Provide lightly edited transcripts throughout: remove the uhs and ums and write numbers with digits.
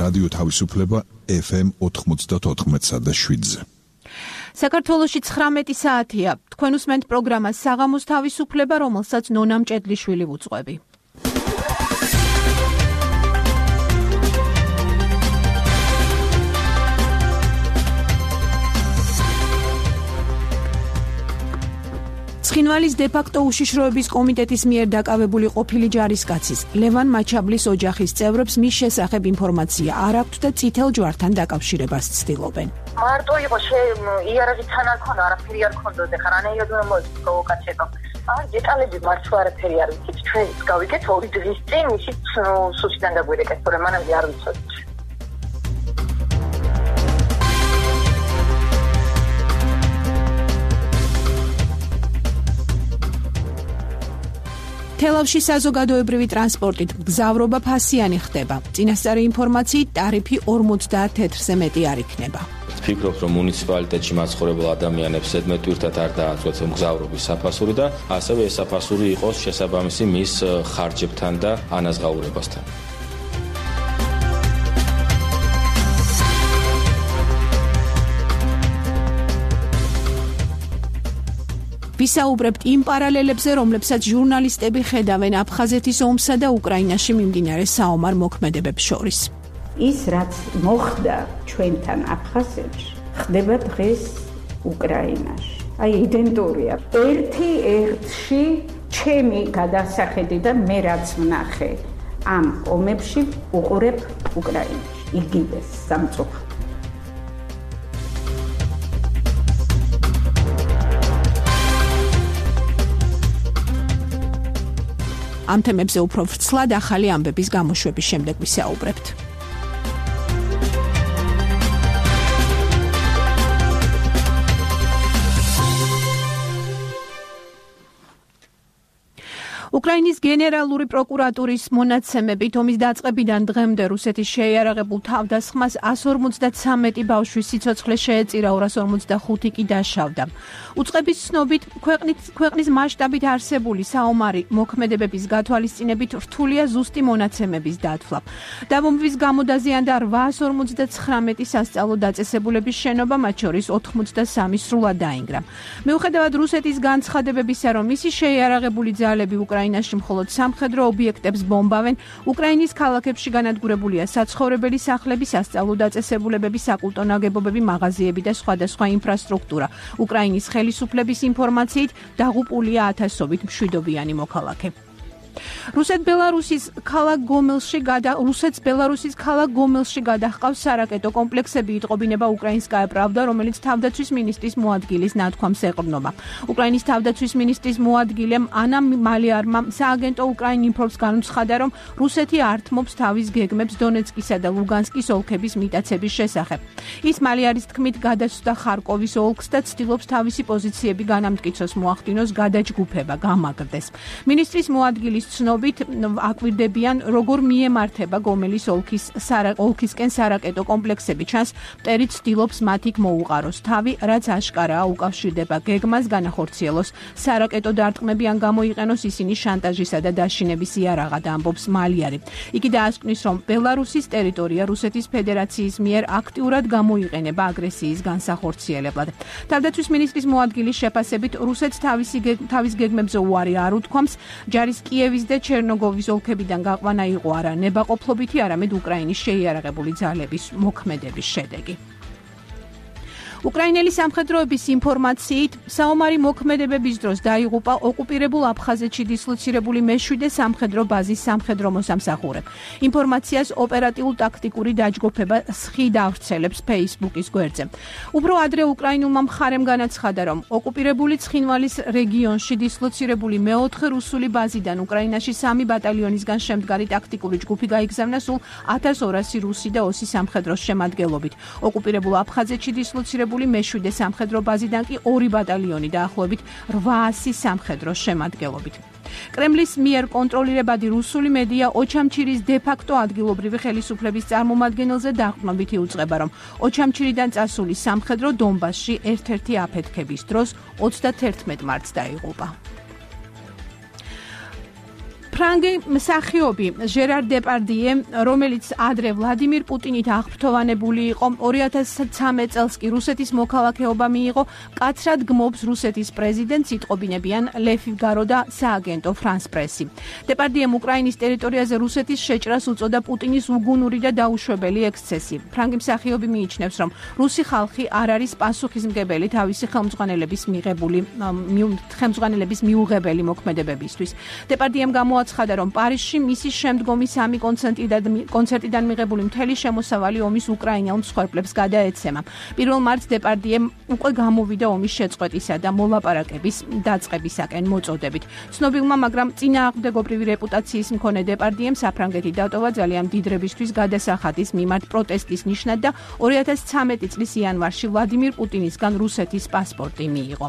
რადიო თავისუფლება FM 94.7-ზე. საქართველოში 19 საათია. თქვენ უსმენთ პროგრამას საღამოს თავისუფლება, რომელსაც ნონა მჭედლიშვილი ვუძღვები. ცხინვალის დე-ფაქტო უშიშროების კომიტეტის მიერ დაკავებული ყოფილი ჯარისკაცის ლევან მაჩაბლის ოჯახის წევრებს მის შესახებ ინფორმაცია არ აქვთ და წითელ ჯვართან დაკავშირებას ცდილობენ. მარტო იყო იარაღიც არ ქონდა, არაფერი არ ქონდოდა, ხარანაირად უნდა მოვიკაცებო. დეტალები მარც არაფერი არ ვიცით. ჩვენ გავიგეთ 2 დღის წინ ისიც სუსიდან დაგვირეკეთ, თორემ მანამდე არ ვიცოდით. თელავში საზოგადოებრივი ტრანსპორტით მგზავრობა ფასიანი ხდება. წინასწარი ინფორმაციით ტარიფი 50 თეთრზე მეტი არ იქნება. ვფიქრობ, რომ მუნიციპალიტეტში მაცხოვრებელ ადამიანებს ზედმეტვირთად არ დააწვეთ მგზავრობის საფასური და ასევე ეს საფასური იყოს შესაბამისი მის ხარჯებთან და ანაზღაურებასთან. ვისაუბრებთ იმ პარალელებზე, რომლებსაც ჟურნალისტები ხედავენ აფხაზეთის ომსა და უკრაინაში მიმდინარე საომარ მოქმედებებს შორის. ის რაც მოხდა ჩვენთან აფხაზეთში, ხდება დღეს უკრაინაში. აი იდენტურია. ერთი-ერთში ჩემი გადასახედი და მე რაც ვნახე ამ ომებში უყურებ უკრაინაში. იგივე სამწუხაროდ. ამ თემებზე უფრო ვრცლად ახალი ამბების გამოშვების შემდეგ ვისაუბრებთ. უკრაინის გენერალური პროკურატურის მონაცემებით ომის დაწყებიდან დღემდე რუსეთის შეიარაღებულ თავდასხმას 153 ბავშვის სიცოცხლე შეეწირა, 245 კი დაშავდა. უწყების ცნობით ქვეყნის მასშტაბით არსებული საომარი მოქმედებების გათვალისწინებით რთულია ზუსტი მონაცემების დათვლა. დაბომბვის გამო დაზიანდა 859 სასწავლო დაწესებულების შენობა, მათ შორის 83 სრულად დაინგრა. მიუხედავად რუსეთის განცხადებებისა, რომ მისი შეიარაღებული ძალები უკრაინაში მხოლოდ სამხედრო ობიექტებს ბომბავენ, უკრაინის ქალაქებში განადგურებულია საცხოვრებელი სახლები, სასწავლო დაწესებულებები, საკულტო ნაგებობები, მაღაზიები და სხვადასხვა ინფრასტრუქტურა. უკრაინის ხელისუფლების ინფორმაციით დაღუპულია ათასობით მშვიდობიანი მოქალაქე. რუსეთს ბელარუსის ქალაქ გომელში გადაჰყავს სარაკეტო კომპლექსები, იტყობინება უკრაინსკაია პრავდა, რომელიც თავდაცვის მინისტრის მოადგილის ნათქვამს ეყრდნობა. უკრაინის თავდაცვის მინისტრის მოადგილემ ანა მალიარმა სააგენტო უკრაინ ინფოს განუცხადა, რომ რუსეთი ართმობს თავის გეგმებს დონეცკისა და ლუგანსკის ოლქების მიტაცების შესახებ. ის მალიარის თქმით გადასცდა ხარკოვის ოლქს და ცდილობს თავისი პოზიციები განამტკიცოს, მოახდინოს გადაჯგუფება, გამაგრდეს. მინისტრის მოადგილის ცნობით აკვირდებიან, როგორ მიემართება გომელის ოლქისკენ სარაკეტო კომპლექსები. ჩანს, მტერი ცდილობს მათ იქ მოუყაროს თავი, რაც აშკარაა უკავშირდება გეგმას, განახორციელოს სარაკეტო დარტყმები, ან გამოიყენოს ისინი შანტაჟისა და დაშინების იარაღად, ამბობს მალიარი. იგი დაასკვნის, რომ ბელარუსის ტერიტორია რუსეთის ფედერაციის მიერ აქტიურად გამოიყენება აგრესიის განსახორციელებლად. თავდაცვის მინისტრის მოადგილის შეფასებით, რუსეთს თავის გეგმებზე უარი არ უთქვამს, ჯარის კიევის და ჩერნოგოვის ოლქებიდან გაყვანა იყო არა ნებაყოფლობითი, არამედ უკრაინის შეიარაღებული ძალების მოქმედების შედეგი. უკრაინელი სამხედროების ინფორმაციით, საომარი მოქმედებების დროს დაიღუპა ოკუპირებულ აფხაზეთში დისლოცირებული მე-7 სამხედრო ბაზის სამხედრო მოსამსახურე. ინფორმაციას ოპერატიულ-ტაქტიკური დაჯგუფება SHID ავრცელებს Facebook-ის გვერდზე. უფრო ადრე უკრაინულმა მხარემ განაცხადა, რომ ოკუპირებული ცხინვალის რეგიონში დისლოცირებული მე-4 რუსული ბაზიდან უკრაინაში 3 ბატალიონისგან შემდგარი ტაქტიკური ჯგუფი გაიგზავნა სულ 1200 რუსი და ოსი სამხედროს შემადგენლობით. ოკუპირებულ აფხაზეთში დისლოცირებული მე-7 სამხედრო ბაზიდან კი 2 ბატალიონი დაახლოებით 800 სამხედროს შემადგენლობით. კრემლის მიერ კონტროლირებადი რუსული მედია ოჩამჩირის დე-ფაქტო ადგილობრივი ხელისუფლების წარმომადგენელზე დაყრდნობით იუწყება, რომ ოჩამჩირიდან წასული სამხედრო დონბასში ერთ-ერთი აფეთქების დროს 31 მარტს დაიღუპა. ფრანგი მსახიობი ჟერარ დეპარდიე, რომელიც ადრე ვლადიმირ პუტინით აღფრთოვანებული იყო, 2013 წელს კი რუსეთის მოქალაქეობა მიიღო, კაცრად გმობს რუსეთის პრეზიდენტს, იტყობინებიან Le Figaro და სააგენტო France Press-ი. დეპარდიემ უკრაინის ტერიტორიაზე რუსეთის შეჭრას უწოდა პუტინის უგუნური და დაუშვებელი ექსცესი. ფრანგი მსახიობი მიიჩნევს, რომ რუსი ხალხი არ არის პასუხისმგებელი თავისი ხელმძღვანელების მიუღებელი მოქმედებებისთვის. დეპარდიემ გამოაცხადა, რომ პარიზში მისი შემდგომი 3 კონცერტიდან მიღებული მთელი შემოსავალი ომის უკრაინელ მსხვერპლებს გადაეცემა. 1 მარტს დეპარდიემ უკვე გამოვიდა ომის შეწყვეტისა და მოლაპარაკების დაწყებისაკენ მოწოდებით. ცნობილმა, მაგრამ წინააღმდეგობრივი რეპუტაციის მქონე დეპარდიემ საფრანგეთი დატოვა ძალიან დიდრებისთვის გადასახადის მიმართ პროტესტის ნიშნად და 2013 წლის იანვარში ვლადიმირ პუტინისგან რუსეთის პასპორტი მიიღო.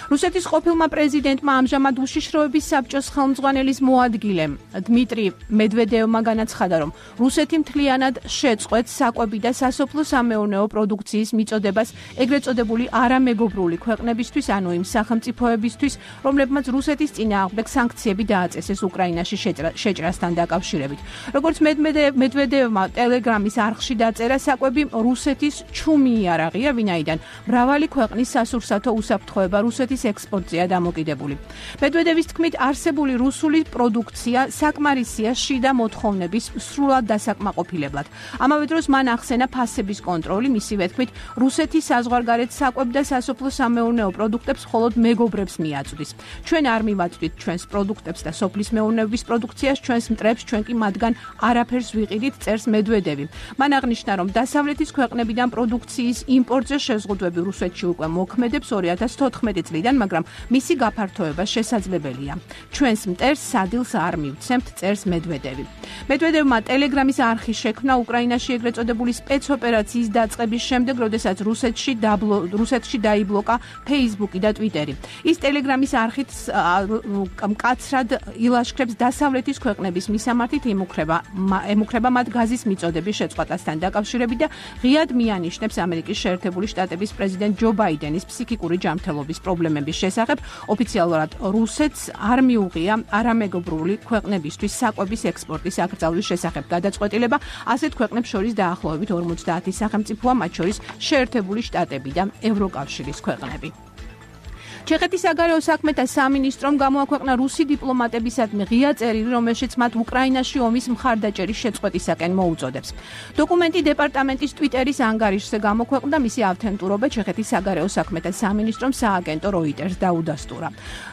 რუსეთის ყოფილმა პრეზიდენტმა ამჟამად უშიშროების საბჭოს ხელმძღვანელის მოადგილემ დმიტრი მედვედევმა განაცხადა, რომ რუსეთი მთლიანად შეწყვეტს საკვები და სასოფლო-სამეურნეო პროდუქციის მიწოდებას ეგრეთ წოდებული არამეგობრული ქვეყნებისთვის, ანუ იმ სახელმწიფოებისთვის, რომლებმაც რუსეთის წინააღმდეგ სანქციები დააწესეს უკრაინაში შეჭრასთან დაკავშირებით. როგორც მედვედევმა ტელეგრამის არხში დაწერა, საკვები რუსეთის ჩუმი იარაღია, ვინაიდან მრავალი ქვეყნის სასურსათო უსაფრთხოება რუსეთის ექსპორტზეა დამოკიდებული. მედვედევის თქმით, არსებული რუსული პროდუქცია საკმარისია შიდა მოთხოვნების სრულად დასაკმაყოფილებლად. ამავე დროს მან ახსენა ფასების კონტროლი, მისივე თქმით, რუსეთი საზღვარგარეთ საკვებ და სასოფლო-სამეურნეო პროდუქტებს მხოლოდ მეგობრებს მიაწვდის. ჩვენ არ მივაწვდით ჩვენს პროდუქტებს და სოფლის მეურნეობის პროდუქციას, ჩვენს მტრებს, ჩვენ კი მათგან არაფერს ვიყიდით, წერს მედვედევი. მან აღნიშნა, რომ დასავლეთის ქვეყნებიდან პროდუქციის იმპორტზე შეზღუდვები რუსეთში უკვე მოქმედებს 2014 წლიდან, მაგრამ მისი გაფართოება შესაძლებელია. ჩვენს მტერს სადილს არ მივცემთ, წერს მედვედევი. მედვედევმა ტელეგრამის არხი შექმნა უკრაინაში ეგრეთ წოდებული სპეცოპერაციის დაწყების შემდეგ, როდესაც რუსეთში დაიბლოკა Facebook-ი და Twitter-ი. ის ტელეგრამის არხით მკაცრად ილაშქრებს დასავლეთის ქვეყნების მისამართით, ემუქრება მათ გაზის მიწოდების შეწყვეტასთან დაკავშირებით და ღიად მიანიშნებს ამერიკის შეერთებული შტატების პრეზიდენტ ჯო ბაიდენის ფსიქიკური ჯანმრთელობის პრობლემების შესახებ. ოფიციალურად რუსეთს არ მიუღია არამეგობრული ქვეყნებისთვის საკვების ექსპორტის აკრძალვის შესახებ გადაწყვეტილება. ასეთ ქვეყნებს შორის დაახლოებით 50 სახელმწიფოა, მათ შორის შეერთებული შტატები და ევროკავშირის ქვეყნები. ჩეხეთის საგარეო საქმეთა სამინისტრომ გამოაქვეყნა რუსი დიპლომატებისადმი ღია წერილი, რომელშიც მათ უკრაინაში ომის მხარდაჭერის შეწყვეტისაკენ მოუწოდებს. დოკუმენტი დეპარტამენტის Twitter-ის ანგარიშზე გამოქვეყნდა, მისი ავთენტურობა ჩეხეთის საგარეო საქმეთა სამინისტრომ სააგენტო Reuters დაუდასტურა.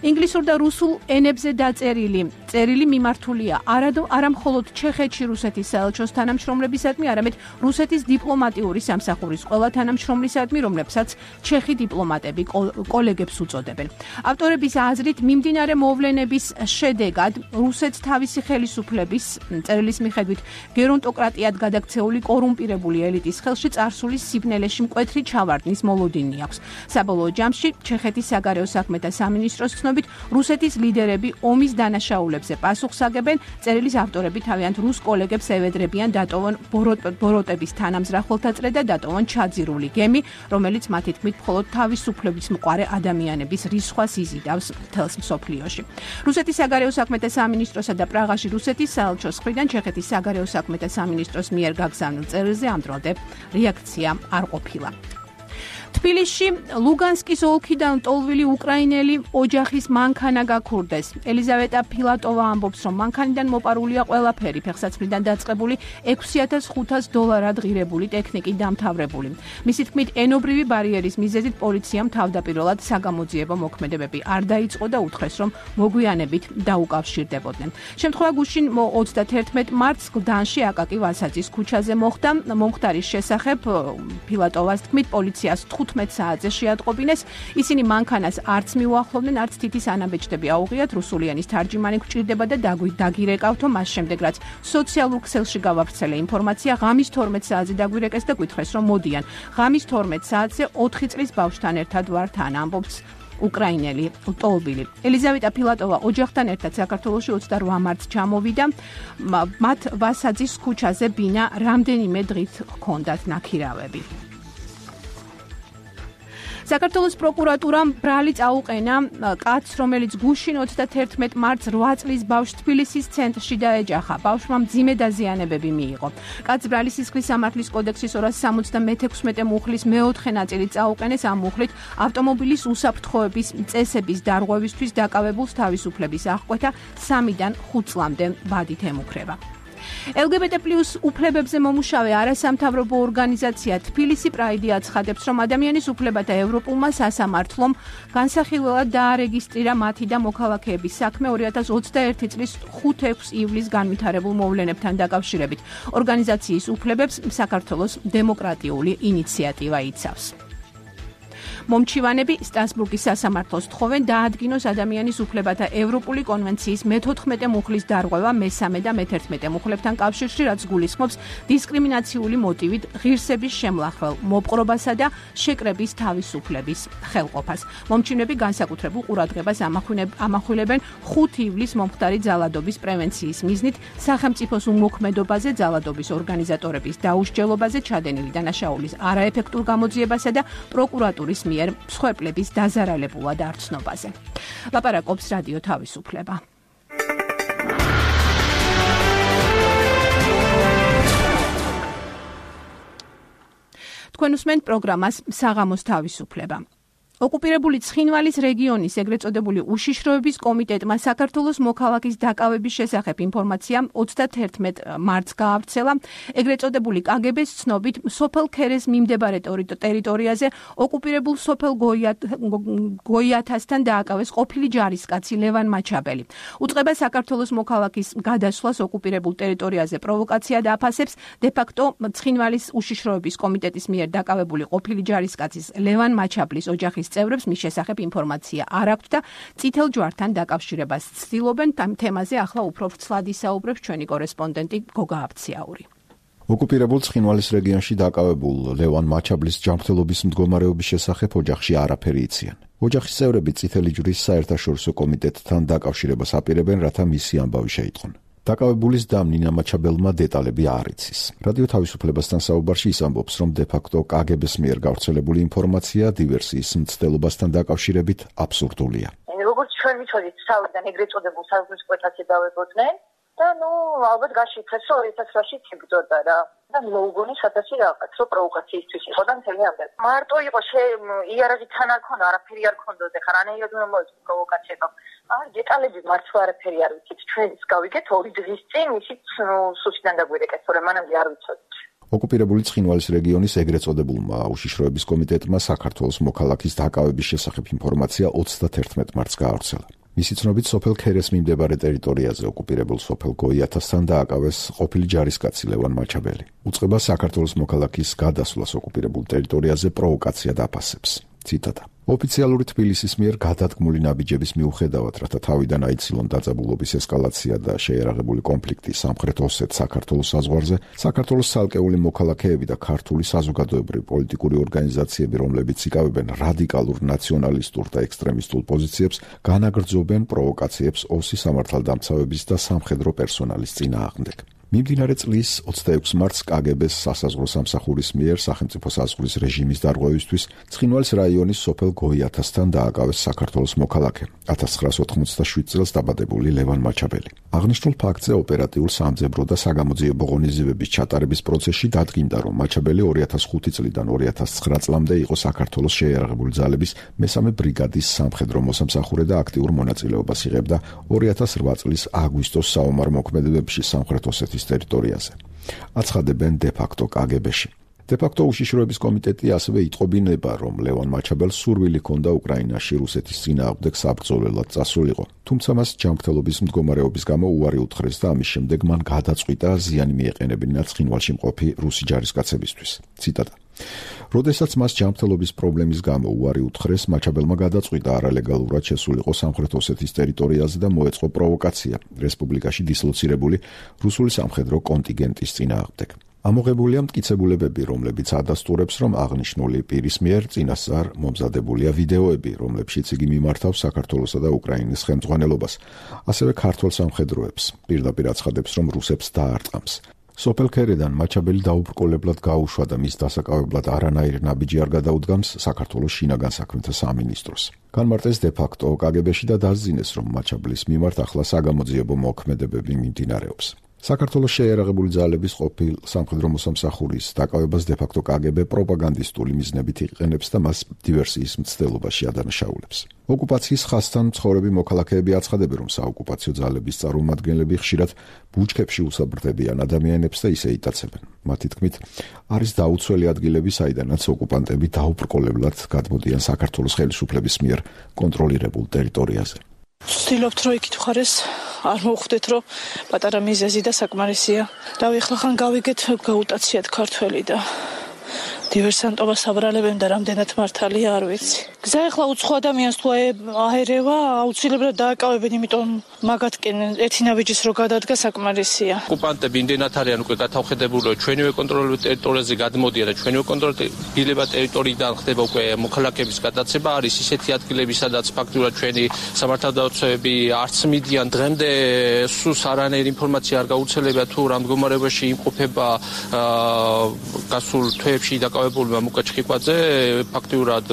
ინგლისურ და რუსულ ენებზე დაწერილი წერილი მიმართულია არა მხოლოდ ჩეხეთში რუსეთის საელჩოს თანამშრომლებისადმი, არამედ რუსეთის დიპლომატიური სამსახურის ყველა თანამშრომლისადმი, რომლებსაც ჩეხი დიპლომატები კოლეგებს უწოდებენ. ავტორების აზრით, მიმდინარე მოვლენების შედეგად რუსეთს თავისი ხელისუფლების წერილის მიხედვით გერონტოკრატიად გადაქცეული კორუმპირებული ელიტის ხელში წარსული სიბნელეში მკვეთრი ჩავარდნის მოლოდინი აქვს. საბოლოო ჯამში ჩეხეთის საგარეო საქმეთა სამინისტროს ცნობით, რუსეთის ლიდერები ომის დანაშაულებზე პასუხს აგებენ. წერილის ავტორები თავიანთ რუს კოლეგებს ევედრებიან დატოვონ ბოროტების თანამზრახველთა წრე და დატოვონ ჩაძირული გემი, რომელიც მათი თქმით მხოლოდ თავისუფლების მყარე ადამიანების რისხვას იზიდავს მთელს მსოფლიოში. რუსეთის საგარეო საქმეთა სამინისტროსა და პრაღაში რუსეთის საელჩოს მხრიდან ჩეხეთის საგარეო საქმეთა სამინისტროს მიერ გაგზავნილ წერილზე ამ დრომდე რეაქცია არ ყოფილა. თბილისში ლუგანსკის ოლქიდან ტოლვილი უკრაინელი ოჯახის მანქანა გაქურდეს. ელიზავეტა ფილატოვა ამბობს, რომ მანქანიდან მოპარულია ყველაფერი, ფეხსაცმლიდან დაწყებული $6,500 ღირებული ტექნიკით დამთავრებული. მისი თქმით, ენობრივი ბარიერის მიზეზით პოლიციამ თავდაპირველად საგამოძიებო მოქმედებები არ დაიწყო და უთხრეს, რომ მოგვიანებით დაუკავშირდებოდნენ. შემთხვევა გუშინ 31 მარტს გლდანში აკაკი ვასაძის ქუჩაზე მოხდა. მომხდარის შესახებ ფილატოვას თქმით, პოლიციას 15 საათზე შეატყობინეს. ისინი მანქანას არც მიუახლოვდნენ, არც თითის ანაბეჭდები აუღიათ. რუსულიანის თარჯიმანი გვჭირდება და დაგვირეკავთო, მას შემდეგ რაც სოციალურ ქსელში გავავრცელე ინფორმაცია, ღამის 12 საათზე დაგვირეკეს და გვითხრეს, რომ მოდიან. ღამის 12 საათზე 4 წლის ბავშვთან ერთად ვარ თან, ამბობს უკრაინელი ტოლბილი. ელიზავეტა ფილატოვა ოჯახთან ერთად საქართველოში 28 მარტს ჩამოვიდა. მათ ვასაძის ქუჩაზე ბინა რამდენიმე დღით ჰქონდათ ნაქირავები. საქართველოს პროკურატურამ ბრალი წაუყენა კაცს, რომელიც გუშინ 31 მარტს 8 წლის ბავშვს თბილისის ცენტრში დაეჯახა. ბავშვმა მძიმე დაზიანებები მიიღო. კაცს ბრალი სისხლის სამართლის კოდექსის 276 მუხლის მეოთხე ნაწილი წაუყენეს. ამ მუხლით ავტომობილის უსაფრთხოების წესების დარღვევისთვის დაკავებულს თავისუფლების აღკვეთა 3-დან 5 წლამდე ბადით ემუქრება. LGBT+ უფლებებზე მომუშავე არასამთავრობო ორგანიზაცია თბილისი პრაიდი აცხადებს, რომ ადამიანის უფლებათა ევროპულმა სასამართლომ განსახილველად დაარეგისტრირა მათი და მოქალაქეების საქმე 2021 წლის 5-6 ივლისს განვითარებულ მოვლენებთან დაკავშირებით. ორგანიზაციის უფლებებს საქართველოს დემოკრატიული ინიციატივა იცავს. მომჩივანები სტრასბურგის სასამართლოს თხოვენ დაადგინოს ადამიანის უფლებათა ევროპული კონვენციის მე-14 მუხლის დარღვევა მე-3 და მე-11 მუხლებთან კავშირში, რაც გულისხმობს დისკრიმინაციული მოტივით ღირსების შემლახველ მოპყრობასა და შეკრების თავისუფლების ხელყოფას. მომჩივანები განსაკუთრებულ ყურადღებას ამახვილებენ 5 ივლისს მომხდარი ძალადობის პრევენციის მიზნით სახელმწიფოს უმოქმედობაზე, ძალადობის ორგანიზატორების დაუსჯელობაზე, ჩადენილი დანაშაულის არაეფექტურ გამოძიებასა და პროკურატურის მსხვერპლების დაზარალებულად არცნობაზე. ლაპარაკობს რადიო თავისუფლება. თქვენ უსმენთ პროგრამას საღამოს თავისუფლება. ოკუპირებული ცხინვალის რეგიონის ეგრეთ წოდებული უშიშროების კომიტეტმა საქართველოს მოქალაქის დაკავების შესახებ ინფორმაცია 31 მარტს გაავრცელა. ეგრეთ წოდებული კგბ-ს ცნობით სოფელ ქერეს მიმდებარე ტერიტორიაზე ოკუპირებულ სოფელ გოიათასთან დააკავეს ყოფილი ჯარისკაცი ლევან მაჩაბელი. უწყება საქართველოს მოქალაქის გადასვლას ოკუპირებულ ტერიტორიაზე პროვოკაცია დააფასებს დე-ფაქტო ცხინვალის უშიშროების კომიტეტის მიერ დაკავებული ყოფილი ჯარისკაცის ლევან მაჩაბლის ოჯახის წევრებს მის შესახებ ინფორმაცია არ აქვთ და წითელ ჯვართან დაკავშირებას ცდილობენ. ამ თემაზე ახლა უფრო ვრცლად ისაუბრებს ჩვენი კორესპონდენტი გოგა აბციაური. ოკუპირებულ ცხინვალის რეგიონში დაკავებულ ლევან მაჩაბლის ჯანმრთელობის მდგომარეობის შესახებ ოჯახში არაფერი იციან. ოჯახის წევრები წითელი ჯვრის საერთაშორისო კომიტეტთან დაკავშირებას აპირებენ, რათა მისი ამბავი შეიტყონ. დაკავებულის დამ ნინა მაჩაბელმა დეტალები არ იცის. რადიო თავისუფლებასთან საუბარში ის ამბობს, რომ დე-ფაქტო კგბ-ს მიერ გავრცელებული ინფორმაცია დივერსიის მცდელობასთან დაკავშირებით აბსურდულია. როგორც ჩვენ ვიცოდით, თავიდან ეგრეთ წოდებულ საზღვრის კვეთას ედავებოდნენ და ალბათ გაშიფრეს, რომ 2008-ში იბრძოდა რა. და მოუგონი სადაც რაღაც რო პროვოკაციისთვის იყო და მთელი ამდენ. მარტო იყო იარაღი თან არ ქონდა, არაფერი არ ქონდოდა, ხარ რანაირად უნდა მოეწყო პროვოკაცია. არ დეტალები მარც არაფერი არ ვიცით. ჩვენც გავიგეთ 2 დღის წინ ისიც სუსტიდან დაგვირეკეთ, თორემ მანამდე არ ვიცოდით. ოკუპირებული ცხინვალის რეგიონის ეგრეთ წოდებულმა უშიშროების კომიტეტმა საქართველოს მოქალაქის დაკავების შესახებ ინფორმაცია 31 მარტს გაავრცელა. მისი ცნობით სოფელ ქერეს მიმდებარე ტერიტორიაზე ოკუპირებულ სოფელ გოიათასთან დააკავეს ყოფილი ჯარისკაცი ლევან მაჩაბელი. უწყება საქართველოს მოქალაქის გადასვლას ოკუპირებულ ტერიტორიაზე პროვოკაცია დააფასებს. ციტატა. ოფიციალური თბილისის მიერ გადადგმული ნაბიჯების მიუხედავად, რათა თავიდან აიცილონ დაძაბულობის ესკალაცია და შეერაღებული კონფლიქტი სამხრეთ ოსეთ საქართველოს საზღვარზე, საქართველოს ცალკეული მოქალაქეები და ქართული საზოგადოებრივი პოლიტიკური ორგანიზაციები, რომლებიც იკავებენ რადიკალურ ნაციონალისტურ და ექსტრემისტულ პოზიციებს, განაგრძობენ პროვოკაციებს ოსის სამართალდამცავების და სამხედრო პერსონალის წინააღმდეგ. მიმდინარე წლის 26 მარტს კგბ-ს სასაზღვრო სამსახურის მიერ სახელმწიფო საზღვრის რეჟიმის დარღვევისთვის ცხინვალის რაიონის სოფელ გოიათასთან დააკავეს საქართველოს მოქალაქე 1987 წელს დაბადებული ლევან მაჩაბელი. აღნიშნულ ფაქტზე ოპერატიულ სამძებრო და საგამოძიებო ღონისძიებების ჩატარების პროცესში დადგინდა, რომ მაჩაბელი 2005 წლიდან 2009 წლამდე იყო საქართველოს შეიარაღებული ძალების მესამე ბრიგადის სამხედრო მოსამსახურე და აქტიურ მონაწილეობას იღებდა 2008 წლის აგვისტოს საომარ მოქმედებებში სამხრეთ ოსეთის ტერიტორიაზე. აცხადებენ დე-ფაქტო კგბ-ში. დე-ფაქტო უშიშროების კომიტეტი ასევე იტყობინება, რომ ლევან მაჩაბელს სურვილი ჰქონდა უკრაინაში რუსეთის წინააღმდეგ საბრძოლველად წასულიყო. თუმცა მას ჯანმრთელობის მდგომარეობის გამო უარი უთხრეს და ამის შემდეგ მან გადაწყვიტა ზიანი მიეყენებინა ცხინვალში მყოფი რუსი ჯარისკაცებისთვის. ციტატა. როდესაც მას ჯანმრთელობის პრობლემის გამო უარი უთხრეს, მაჩაბელმა გადაწყვიტა არალეგალურად შესულიყო სამხრეთ ოსეთის ტერიტორიაზე და მოეწყო პროვოკაცია რესპუბლიკაში დისლოცირებული რუსული სამხედრო კონტინგენტის წინააღმდეგ. ამოღებულია მტკიცებულებები, რომლებიც ადასტურებს, რომ აღნიშნული პირის მიერ წინასწარ მომზადებულია ვიდეოები, რომლებშიც იგი მიმართავს საქართველოსა და უკრაინის ხელმძღვანელობას, ასევე ქართველ სამხედროებს. პირდაპირ აცხადებს, რომ რუსებს დაარტყამს. სოფელ ქერედან მაჩაბელი დაუბრკოლებლად გაუშვა და მის დასაკავებლად არანაირი ნაბიჯი არ გადაუდგამს საქართველოს შინაგან საქმეთა სამინისტროს. განმარტეს დე-ფაქტო კგბ-ში და დასძინეს, რომ მაჩაბლის მიმართ ახლა საგამოძიებო მოქმედებები მიმდინარეობს. საქართველოს შეიარაღებული ძალების ყოფილ სამხედრო მოსამსახურის დაკავებას დე-ფაქტო კგბ პროპაგანდისტული მიზნებით იყენებს და მას დივერსიის მცდელობაში ადანაშაულებს. ოკუპაციის ხაზთან მცხოვრები მოქალაქეები აცხადებენ, რომ საოკუპაციო ძალების წარმომადგენლები ხშირად ბუჩქებში უსაბრდებიან ადამიანებს და ისე იტაცებენ. მათი თქმით, არის დაუცველი ადგილები, საიდანაც ოკუპანტები დაუბრკოლებლად გადმოდიან საქართველოს ხელისუფლების მიერ კონტროლირებულ ტერიტორიაზე. ვცდილობთ, რომ იქით მხარეს არ მოვხვდეთ, რომ პატარა მიზეზი და საკმარისია. რავი, ახლა ხან გავიგეთ, გაუტაციათ ქართველი და დივერსანტობას აბრალებენ და რამდენად მართალია არ ვიცი. გზა ახლა უცხო ადამიანს თუ აერევა, აუცილებლად დააკავებენ, იმიტომ მაგათკენ ერთი ნაბიჯის რო გადადგა საკმარისია. ოკუპანტები იმდენად არიან უკვე გათავხედებული, რომ ჩვენივე კონტროლირებულ ტერიტორიაზე გადმოდიან და ჩვენივე კონტროლირებულ ტერიტორიიდან ხდება უკვე მოქალაქეების გადაცემა. არის ისეთი ადგილები, სადაც ფაქტურად ჩვენი სამართალდამცავები არც მიდიან. დღემდე სულს არანაირი ინფორმაცია არ გაუცელებია თუ რა მდგომარეობაში იმყოფება გასულ თვეებში დაკავებულმა მუკა ჩხიკვაძე. ფაქტურად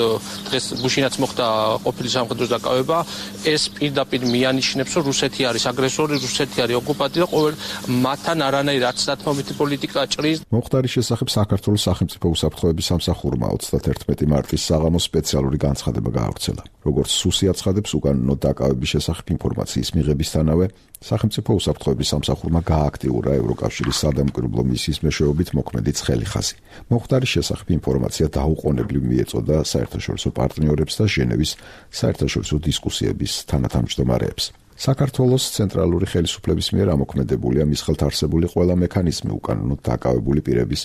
დღეს გუშინაც მოხდა ყოფილი სამხედრო დაკავება. ეს პირდაპირ მიანიშნებს, რომ რუსეთი არის აგრესორი, რუსეთი არის ოკუპანტი და ყოველ მათთან არანაირი არც დათმობითი პოლიტიკა ჭრის. მოხდარის შესახებ საქართველოს სახელმწიფო უსაფრთხოების სამსახურმა 31 მარტის საღამოს სპეციალური განცხადება გაავრცელა. როგორც სუსი აცხადებს, უკანონო დაკავების შესახებ ინფორმაციის მიღებისთანავე სახელმწიფო უსაფრთხოების სამსახურმა გააქტიურა ევროკავშირის სადამკვირვებლო მისიის მეშვეობით მოქმედი ცხელი ხაზი. მოხდარის შესახებ ინფორმაცია დაუყოვნებლივ მიეწოდა საერთაშორისო პარტნიორებს და ჟენევის საერთაშორისო დისკუსიების თანათავმჯდომარეებს. საქართველოს ცენტრალური ხელისუფლების მიერ ამოქმედებულია მის ხელთ არსებული ყველა მექანიზმი უკანონოდ დაკავებული პირების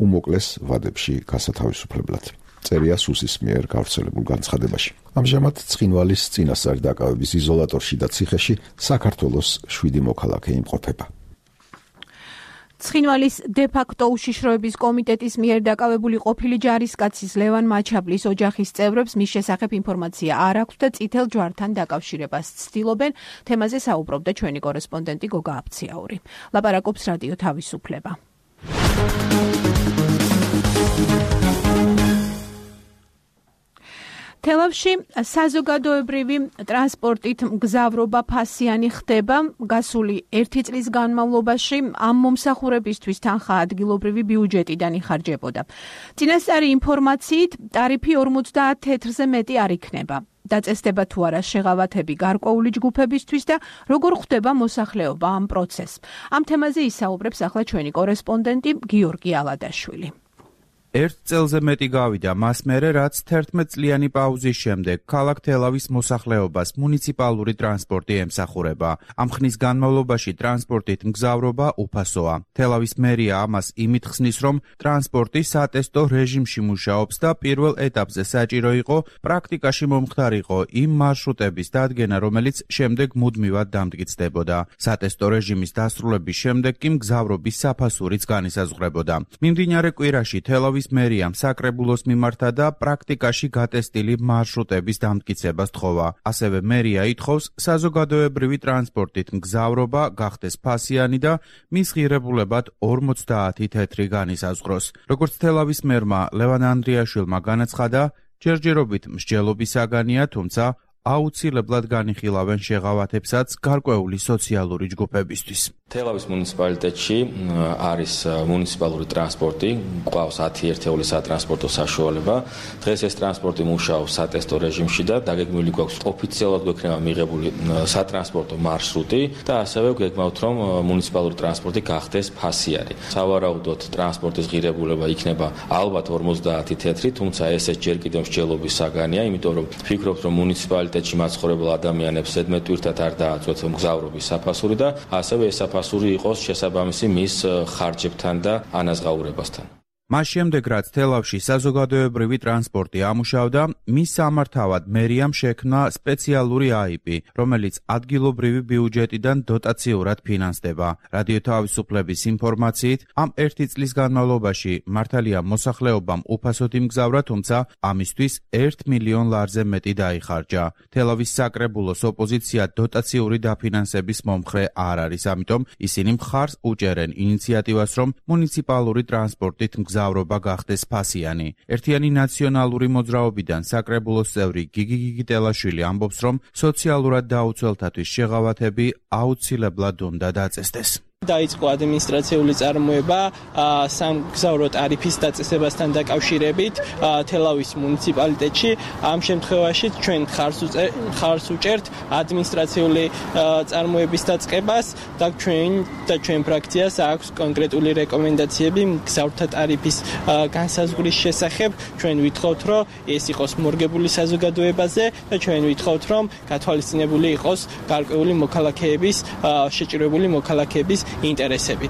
უმოკლეს ვადებში გასათავისუფლებლად. წერია სუსის მიერ გავრცელებულ განცხადებაში. ამჟამად ცხინვალის წინასწარი დაკავების იზოლატორში და ციხეში საქართველოს 7 მოქალაქე იმყოფება. ცხინვალის დე-ფაქტო უშიშროების კომიტეტის მიერ დაკავებული ყოფილი ჯარისკაცის ლევან მაჩაბლის ოჯახის წევრებს მის შესახებ ინფორმაცია არ აქვს და წითელ ჯვართან დაკავშირებას ცდილობენ. თემაზე საუბრობდა ჩვენი კორესპონდენტი გოგა აფციაური. ლაპარაკობს რადიო თავისუფლება. თელავში საზოგადოებრივი ტრანსპორტით მგზავრობა ფასიანი ხდება. გასული 1 წლის განმავლობაში ამ მომსახურებისთვის თანხა ადგილობრივი ბიუჯეტიდან იხარჯებოდა. წინასწარი ინფორმაციით, ტარიფი 50 თეთრზე მეტი არ იქნება. დაწესდება თუ არა შეღავათები გარკვეული ჯგუფებისთვის და როგორ ხდება მოსახლეობა ამ პროცესს. ამ თემაზე ისაუბრებს ახლა ჩვენი კორესპონდენტი გიორგი ალადაშვილი. 1 წელზე მეტი გავიდა მას მერე, რაც 11 წლიანი პაუზის შემდეგ ქალაქ თელავის მოსახლეობას მუნიციპალური ტრანსპორტი ემსახურება. ამ ხნის განმავლობაში ტრანსპორტით მგზავრობა უფასოა. თელავის მერია ამას იმით ხსნის, რომ ტრანსპორტი სატესტო რეჟიმში მუშაობს და პირველ ეტაპზე საჭირო იყო პრაქტიკაში მომხდარიყო იმ მარშრუტების დადგენა, რომელიც შემდეგ მუდმივად დამტკიცდებოდა. სატესტო რეჟიმის დასრულების შემდეგ კი მგზავრობის საფასურიც განისაზღვრებოდა. მიმდინარე კვირაში თელავის მერიამ საკრებულოს მიმართა და პრაქტიკაში გატესტილი მარშრუტების დამტკიცებას თხოვა. ასევე მერია ითხოვს საზოგადოებრივი ტრანსპორტით მგზავრობა გახდეს ფასიანი და მის ღირებულებად 50 თეთრი განისაზღვროს. როგორც თელავის მერმა ლევან ანდრიაშვილმა განაცხადა, ჯერჯერობით მსჯელობის საგანია, თუმცა აუცილებლად განიხილავენ შეღავათებსაც გარკვეული სოციალური ჯგუფებისთვის. თელავის მუნიციპალიტეტში არის მუნიციპალური ტრანსპორტი, გვყავს 10 ერთეული სატრანსპორტო საშუალება. დღეს ეს ტრანსპორტი მუშაობს სატესტო რეჟიმში და დაგეგმილი გვაქვს ოფიციალურად გვექნება მიღებული სატრანსპორტო მარშრუტი და ასევე გვეგმავთ, რომ მუნიციპალური ტრანსპორტი გახდეს ფასიანი. სავარაუდოდ ტრანსპორტის ღირებულება იქნება ალბათ 50 თეთრი, თუმცა ესეც ჯერ კიდევ მსჯელობის საგანია, იმიტომ რომ ვფიქრობთ, რომ მუნიციპალიტეტში მაცხოვრებელ ადამიანებს ზედმეტ პირთად არ დააწვეთ მგზავრობის საფასური და ასევე ეს საფასური იყოს შესაბამისი მის ხარჯებთან და ანაზღაურებასთან. მას შემდეგ, რაც თელავში საზოგადოებრივი ტრანსპორტი ამუშავდა, მის სამართავად მერიამ შექმნა სპეციალური აიპი, რომელიც ადგილობრივი ბიუჯეტიდან დოტაციურად ფინანსდება. რადიო თავისუფლების ინფორმაციით, ამ 1 წლის განმავლობაში მართალია მოსახლეობამ უფასოდ იმგზავრა, თუმცა ამისთვის 1 მილიონ ლარზე მეტი დაიხარჯა. თელავის საკრებულოს ოპოზიცია დოტაციური დაფინანსების მომხრე არ არის, ამიტომ ისინი მხარს უჭერენ ინიციატივას, რომ მუნიციპალური ტრანსპორტით მგზავრობა გახდეს ფასიანი. ერთიანი ნაციონალური მოძრაობიდან საკრებულოს წევრი გიგი გიგიტელაშვილი ამბობს, რომ სოციალურად დაუცველთათვის შეღავათები აუცილებლად უნდა დაწესდეს. დაიწყო ადმინისტრაციული წარმოება სამგზავრო ტარიფის დაწესებასთან დაკავშირებით თელავის მუნიციპალიტეტში. ამ შემთხვევაში ჩვენ ხარს უჭერთ ადმინისტრაციული წარმოების დაწყებას და ჩვენ ფრაქციას აქვს კონკრეტული რეკომენდაციები მგზავრთა ტარიფის განსაზღვრის შესახებ. ჩვენ ვითხოვთ, რომ ეს იყოს მორგებული საზოგადოებაზე და ჩვენ ვითხოვთ, რომ გათვალისწინებული იყოს გარკვეული მოქალაქეების შეჭირებული მოქალაქეების ინტერესები.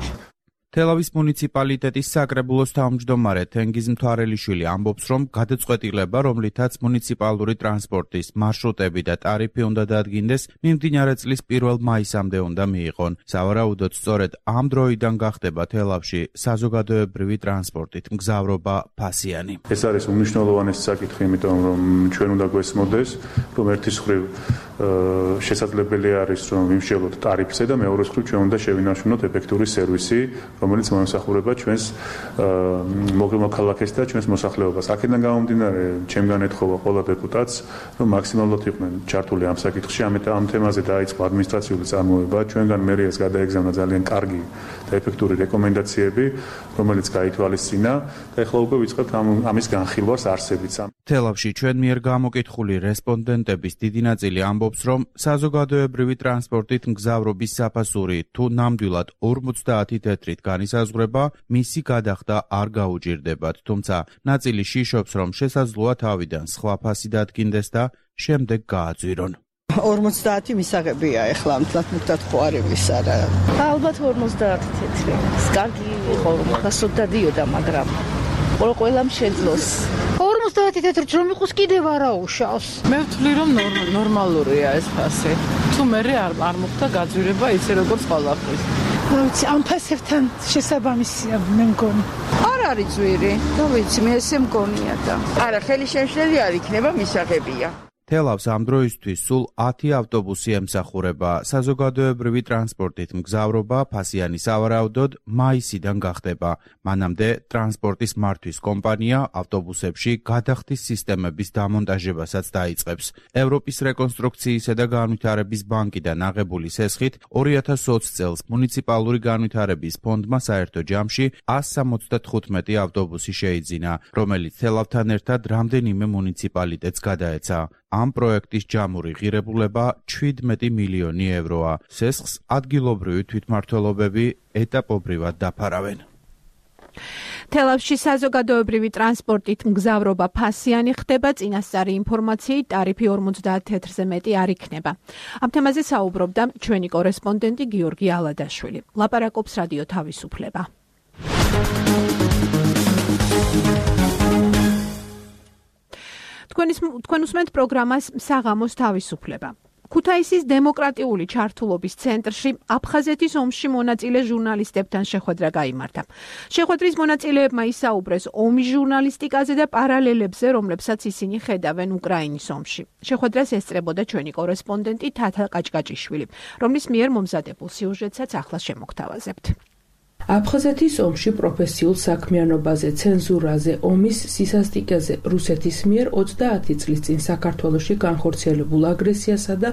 თელავის მუნიციპალიტეტის საკრებულოს თავმჯდომარე თენგიზ მთვარელიშვილი ამბობს, რომ გადაწყვეტილება, რომლითაც მუნიციპალური ტრანსპორტის მარშრუტები და ტარიფი უნდა დადგინდეს, მიმდინარე წლის 1 მაისამდე უნდა მიიღონ. სავარაუდოდ, სწორედ ამ დროიდან გახდება თელავში საზოგადოებრივი ტრანსპორტით მგზავრობა ფასიანი. ეს არის უმნიშვნელოვანესი საკითხი, იმიტომ რომ ჩვენ უნდა გვესმოდეს, რომ ერთის მხრივ შესაძლებელი არის, რომ ვიმსჯელოთ ტარიფზე და მეორეს მხრივ ჩვენ უნდა შევინარჩუნოთ ეფექტური სერვისი, რომელიც მომსახურება ჩვენს მოქალაქეს და ჩვენს მოსახლეობას. აქედან გამომდინარე, ჩემგან ეთხოვა ყველა დეპუტატს, რომ მაქსიმალურად იყვნენ ჩართული ამ საკითხში. ამ თემაზე დაიწყო ადმინისტრაციული წარმოება. ჩვენგან მერიას გადაეგზავნა ძალიან კარგი და ეფექტური რეკომენდაციები, რომელიც გაითვალისწინა და ეხლა უკვე ვიწყებთ ამის განხილვას არსებიც. თელავში ჩვენ მიერ გამოკითხული რესპონდენტების დიდი ნაწილი ამბობს, რომ საზოგადოებრივი ტრანსპორტით მგზავრობის საფასური თუ ნამდვილად 50 თეთრით განისაზღვრება, მისი გადახდა არ გაუჭირდებათ, თუმცა ნაწილი შიშობს, რომ შესაძლოა თავიდან სხვა ფასი დადგინდეს და შემდეგ გააძვირონ. 50 მისაღებია ეხლა მთლად ხო არ არის არა. ალბათ 50 თეთრი. კარგი იყო რომ ხასოდ დადიოდა, მაგრამ ყველამ შეძლოს. 50 თეთრით რომ იყოს კიდევ არა უშავს. მე ვთვლი რომ ნორმალურია ეს ფასი. თუ მე არ მოხდა გაძვირება ისე როგორც ყველაფრის. ვიცი, ამ ფასებთან შესაბამისია მე მგონი. არ არის ძვირი. და ვიცი, მე ესე მგონია და. არა, ხელი შემშლელი არ იქნება, მისაღებია. თელავს ამ დროისთვის სულ 10 ავტობუსი ემსახურება. საზოგადოებრივი ტრანსპორტით მგზავრობა ფასიანი სავარაუდოდ მაისიდან გახდება. მანამდე ტრანსპორტის მართვის კომპანია ავტობუსებში გადახდის სისტემების დამონტაჟებასაც დაიწყებს. ევროპის რეკონსტრუქციისა და განვითარების ბანკიდან აღებული სესხით 2020 წელს მუნიციპალური განვითარების ფონდმა საერთო ჯამში 175 ავტობუსი შეიძინა, რომელიც თელავთან ერთად რამდენიმე მუნიციპალიტეტს გადაეცა. ამ პროექტის ჯამური ღირებულება 17 მილიონი ევროა. სესხს ადგილობრივი თვითმმართველობები ეტაპობრივად დაფარავენ. თელავში საზოგადოებრივი ტრანსპორტით მგზავრობა ფასიანი ხდება, წინასწარი ინფორმაციით ტარიფი 50 თეთრზე მეტი არ იქნება. ამ თემაზე საუბრობდა ჩვენი კორესპონდენტი გიორგი ალადაშვილი. ლაპარაკობს რადიო თავისუფლება. თქვენ უსმენთ პროგრამას საღამოს თავისუფლება. ქუთაისის დემოკრატიული ჩართულობის ცენტრში აფხაზეთის ომში მონაწილე ჟურნალისტებთან შეხვედრა გაიმართა. შეხვედრის მონაწილეებმა ისაუბრეს ომის ჟურნალისტიკაზე და პარალელებზე, რომლებსაც ისინი ხედავენ უკრაინის ომში. შეხვედრას ესწრებოდა ჩვენი კორესპონდენტი თათა კაჭკაჭიშვილი, რომლის მიერ მომზადებულ სიუჟეტსაც ახლა შემოგთავაზებთ. აფხაზეთის ომში პროფესიულ საქმიანობაზე, ცენზურაზე, ომის სისასტიკეზე რუსეთის მიერ 30 წლის წინ საქართველოში განხორციელებულ აგრესიასა და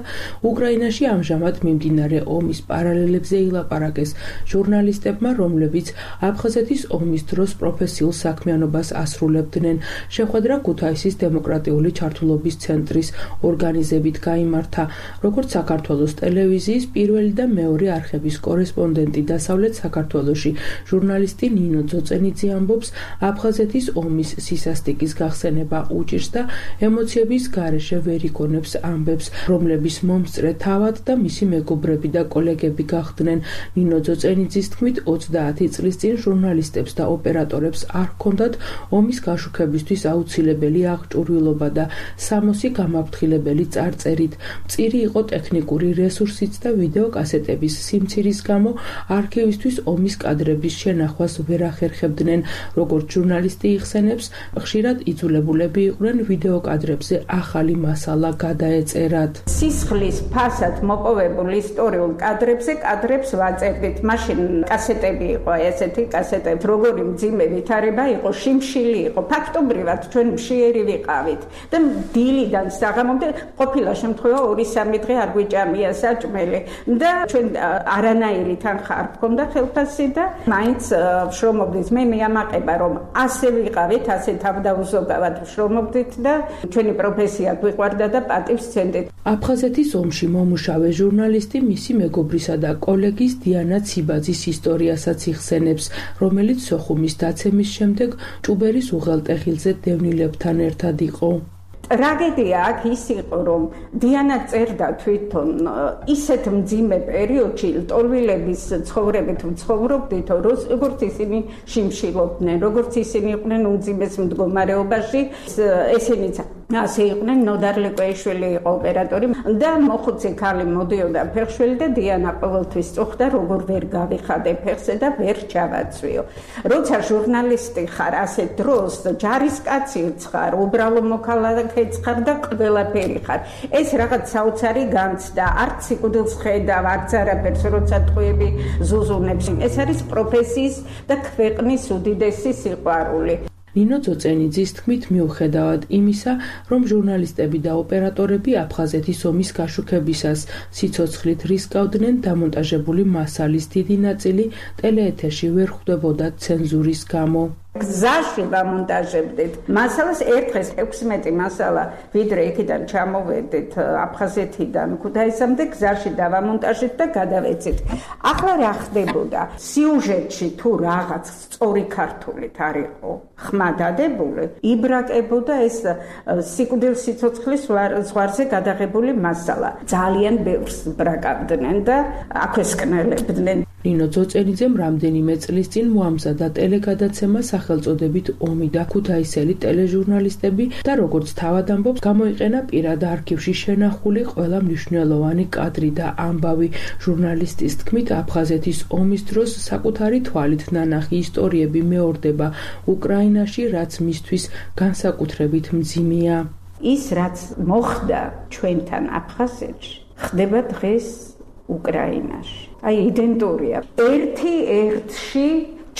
უკრაინაში ამჟამად მიმდინარე ომის პარალელებზე ილაპარაკეს ჟურნალისტებმა, რომლებიც აფხაზეთის ომის დროს პროფესიულ საქმიანობას ასრულებდნენ. შეხვედრა ქუთაისის დემოკრატიული ჩართულობის ცენტრის ორგანიზებით გაიმართა, როგორც საქართველოს ტელევიზიის პირველი და მეორე არხების კორესპონდენტი დასავლეთ საქართველოს საქართველოში. ჟურნალისტი ნინო ძოწენიძე ამბობს, აფხაზეთის ომის სისასტიკის გახსენება უჭირს და ემოციების გარეშე ვერ იგონებს ამბებს, რომლების მომსწრე თავად და მისი მეგობრები და კოლეგები გახდნენ. ნინო ძოწენიძის თქმით, 30 წლის წინ ჟურნალისტებს და ოპერატორებს არ ჰქონდათ ომის გაშუქებისთვის აუცილებელი აღჭურვილობა და სამოსი გამაფრთხილებელი წარწერით. მწირი იყო ტექნიკური რესურსიც და ვიდეო კასეტების სიმცირის გამო არქივისთვის ომის კადრების შენახვას ვერ ახერხებდნენ. როგორც ჟურნალისტი იხსენებს, ხშირად იძულებულები იყვნენ ვიდეო კადრებზე ახალი მასალა გადაეწერათ. სისხლის ფასად მოპოვებულ ისტორიულ კადრებს ვაწერდით. მაშინ კასეტები იყო, ესეთი კასეტები, როგორი მძიმე ვითარება იყო, შიმშილი იყო. ფაქტობრივად ჩვენ მშიერი ვიყავით და დილიდან საღამომდე ყოფილა შემთხვევა 2-3 დღე არ გვიჭამია საჭმელი და ჩვენ არანაირი თანხა არ ჰქონდა ხელფასი და მაინც ვშრომობდით. მე მეამაყება რომ ასე ვიყავით, ასე თავდაუზოგავად ვშრომობდით და ჩვენი პროფესია გვიყვარდა და პატივს ვცემდით. აფხაზეთის ომში მომუშავე ჟურნალისტი მისი მეგობრისა და კოლეგის დიანა ციბაძის ისტორიასაც იხსენებს, რომელიც სოხუმის დაცემის შემდეგ ჭუბერის უღელტეხილზე დევნილებთან ერთად იყო. ტრაგედია აქ ის იყო, რომ დიანა წერდა თვითონ ისეთ მძიმე პერიოდში ლტოლვილების ცხოვრებით ვცხოვრობდით, როგორც ისინი შიმშილობდნენ, როგორც ისინი იყვნენ უმძიმეს მდგომარეობაში, ესენიც ასე იყვნენ. ნოდარ ლეკვეიშვილი იყო ოპერატორი და მოხუცი ქალი მოდიოდა ფეხშველი და დიანა ყოველთვის წუხდა, როგორ ვერ გავიხადე ფეხზე და ვერ ჩავაცვიო. როცა ჟურნალისტი ხარ ასე დროს, ჯარისკაცი ხარ, უბრალო მოქალაქე ხარ და ყველაფერი ხარ. ეს რაღაც საოცარი განცდა, არც სიკვდილს ხედავ, არც არაფერს, როცა ტყვიები ზუზუნებს. ეს არის პროფესიის და ქვეყნის უდიდესი სიყვარული. ნინო ძოწენიძის თქმით, მიუხედავად იმისა, რომ ჟურნალისტები და ოპერატორები აფხაზეთის ომის გაშუქებისას სიცოცხლით რისკავდნენ, დამონტაჟებული მასალის დიდი ნაწილი ტელეეთერში ვერ ხვდებოდა ცენზურის გამო. გზაში ვამონტაჟებდით მასალას. ერთხელ 16 მასალა ვიდრე იქიდან ჩამოვედით აფხაზეთიდან ქუთაისამდე, გზაში დავამონტაჟეთ და გადავეცით. ახლა რა ხდებოდა? სიუჟეტში თუ რაღაც სწორი ქართულით არ იყო ხმა დადებული, იბრაკებოდა ეს სიკვდილის სიცოცხლის ზღვარზე გადაღებული მასალა. ძალიან ბევრს ბრაკავდნენ და აქვესკნელებდნენ. ნინო ძოწენიძემ რამდენიმე წლის წინ მოამზადა ტელეგადაცემა სახელწოდებით ომი და ქუთაისელი ტელეჟურნალისტები და როგორც თავად ამბობს, გამოიყენა პირად არქივში შენახული ყველა მნიშვნელოვანი კადრი და ამბავი. ჟურნალისტის თქმით, აფხაზეთის ომის დროს საკუთარი თვალით ნანახი ისტორიები მეორდება უკრაინაში, რაც მისთვის განსაკუთრებით მძიმეა. ის რაც მოხდა ჩვენთან აფხაზეთში, ხდება დღეს უკრაინაში. აი იდენტურია. ერთ-ერთში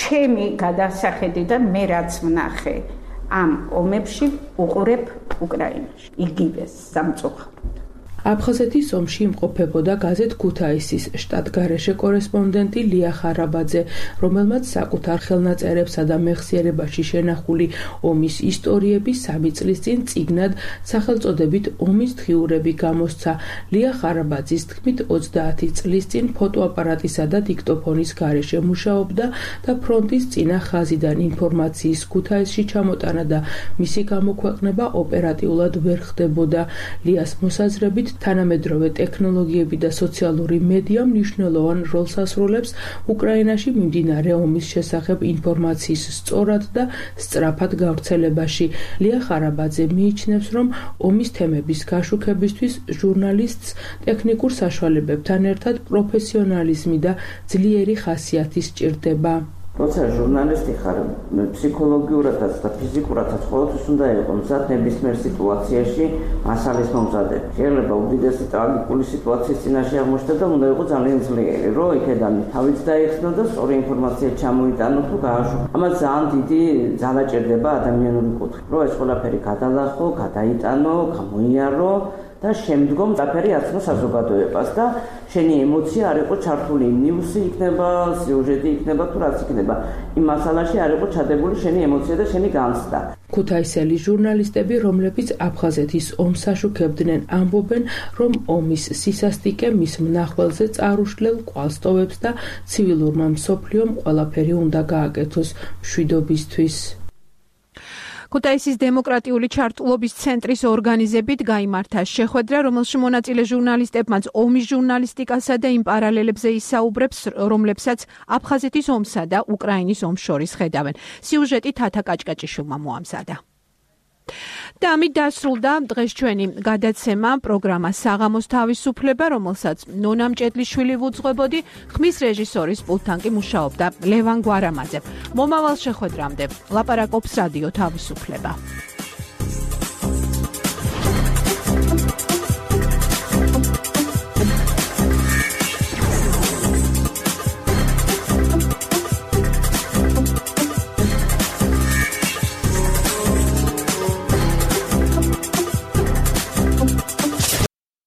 ჩემი გადასახედი და მე რაც ვნახე ამ ომებში უყურებ უკრაინაში. იგივეს სამწუხაროდ. აფხაზეთის ომში იმყოფებოდა გაზეთ ქუთაისის შტატგარეშე კორესპონდენტი ლია ხარაბაძე, რომელმაც საკუთარ ხელნაწერებსა და მეხსიერებაში შენახული ომის ისტორიები 3 წლის წინ წიგნად სახელწოდებით ომის დღიურები გამოსცა. ლია ხარაბაძის თქმით, 30 წლის წინ ფოტოაპარატისა და დიქტოფონის გარეშე მუშაობდა და ფრონტის წინა ხაზიდან ინფორმაციის ქუთაისში ჩამოტანა და მისი გამოქვეყნება ოპერატიულად ვერ ხდებოდა.ლიას მოსაზრებით, თანამედროვე ტექნოლოგიები და სოციალური მედია მნიშვნელოვან როლს ასრულებს უკრაინაში მიმდინარე ომის შესახებ ინფორმაციის სწორად და სწრაფად გავრცელებაში. ლია ხარაბაძე მიიჩნევს, რომ ომის თემების გაშუქებისთვის ჟურნალისტს ტექნიკურ საშუალებებთან ერთად პროფესიონალიზმი და ძლიერი ხასიათი სჭირდება. როცა ჟურნალისტი ხარ, ფსიქოლოგიურადაც და ფიზიკურადაც ყოველთვის უნდა იყო მზად ნებისმიერ სიტუაციაში მასალის მომზადება. შეიძლება უდიდესი ტრაგიკული სიტუაციის წინაშე აღმოჩნდა და უნდა იყო ძალიან ძლიერი, რომ იქედან თავიც დაიხსნა და სწორი ინფორმაცია ჩამოიტანო თუ გააშუქო. ამას ძალიან დიდი ძალა ჭირდება ადამიანური კუთხით, რომ ეს ყველაფერი გადალახო, გადაიტანო, გამოიარო და შემდგომ დაფერი აცნო საზოგადოებას და შენი ემოცია არ იყო ჩართული ნიუსი იქნება, სიუჟეტი იქნება თუ რაც იქნება. იმ მასალაში არ იყო ჩადებული შენი ემოცია და შენი განცდა. ქუთაისელი ჟურნალისტები, რომლებიც აფხაზეთის ომს აშუქებდნენ, ამბობენ, რომ ომის სისასტიკე მის მნახველზე წარუშლელ კვალს ტოვებს და ცივილურმა მსოფლიომ ყველაფერი უნდა გააკეთოს მშვიდობისთვის. ქუთაისის დემოკრატიული ჩართულობის ცენტრის ორგანიზებით გაიმართა შეხვედრა, რომელშიც მონაწილე ჟურნალისტებმაც ომის ჟურნალისტიკასა და იმ პარალელებზე ისაუბრებს, რომლებსაც აფხაზეთის ომსა და უკრაინის ომს შორის ხედავენ. სიუჟეტი თათა კაჭკაჭიშვილმა მოამზადა. და ამით დასრულდა დღეს ჩვენი გადაცემა პროგრამა საღამოს თავისუფლება, რომელსაც ნონა მჭედლიშვილი ვუძღვებოდი, ხმის რეჟისორის პულტთან კი მუშაობდა ლევან გვარამაძე. მომავალ შეხვედრამდე ლაპარაკობს რადიო თავისუფლება.